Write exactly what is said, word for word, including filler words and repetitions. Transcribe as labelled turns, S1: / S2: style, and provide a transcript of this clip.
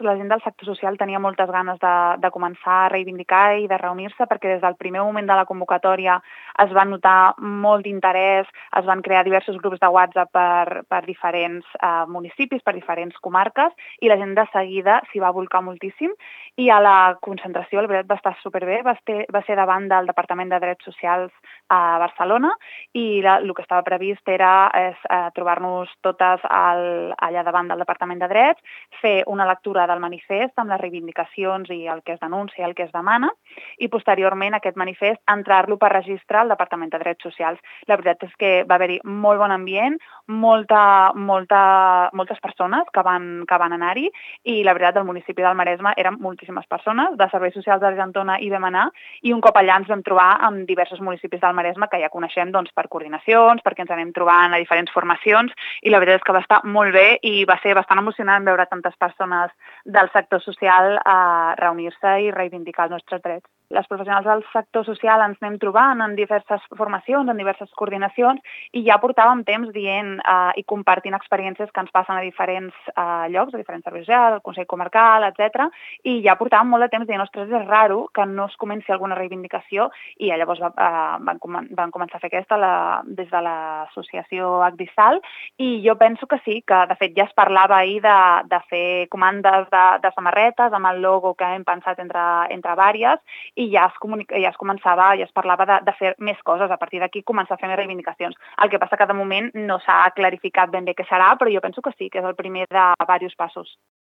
S1: La gent del sector social tenia moltes ganes de, de començar a reivindicar i de reunir-se perquè des del primer moment de la convocatòria es va notar molt d'interès, es van crear diversos grups de WhatsApp per, per diferents eh, municipis, per diferents comarques, i la gent de seguida s'hi va volcar moltíssim. I a la concentració, la veritat, va estar superbé, va ser, va ser davant del Departament de Drets Socials a Barcelona, i la, el que estava previst era és, eh, trobar-nos totes al, allà davant del Departament de Drets, fer una lectura del manifest amb les reivindicacions i el que es denuncia i el que es demana, i posteriorment aquest manifest entrar-lo per registre al Departament de Drets Socials. La veritat és que va haver-hi molt bon ambient, molta, molta, moltes persones que van, que van anar-hi, i la veritat del municipi del Maresme eren moltíssimes persones, de Serveis Socials d'Argentona hi vam anar, i un cop allà ens vam trobar amb diversos municipis del Maresme que ja coneixem doncs, per coordinacions, perquè ens anem trobant a diferents formacions, i la veritat és que va estar molt bé i va ser bastant emocionant veure tantes persones del sector social a reunir-se i reivindicar els nostres drets. Les professionals del sector social ens anem trobant en diverses formacions, en diverses coordinacions, i ja portàvem temps dient eh, i compartint experiències que ens passen a diferents eh, llocs, a diferents serveis socials, al Consell Comarcal, etcètera. I ja portàvem molt de temps dient, ostres, és raro que no es comenci alguna reivindicació, i llavors va, eh, van, com van començar a fer aquesta la, des de l'associació Agdisal, i jo penso que sí, que de fet ja es parlava ahir de, de fer comandes de, de samarretes amb el logo que hem pensat entre, entre vàries, i ja es, comunica, ja es començava, ja es parlava de, de fer més coses, a partir d'aquí començar a fer més reivindicacions. El que passa que de moment no s'ha clarificat ben bé què serà, però jo penso que sí, que és el primer de diversos passos.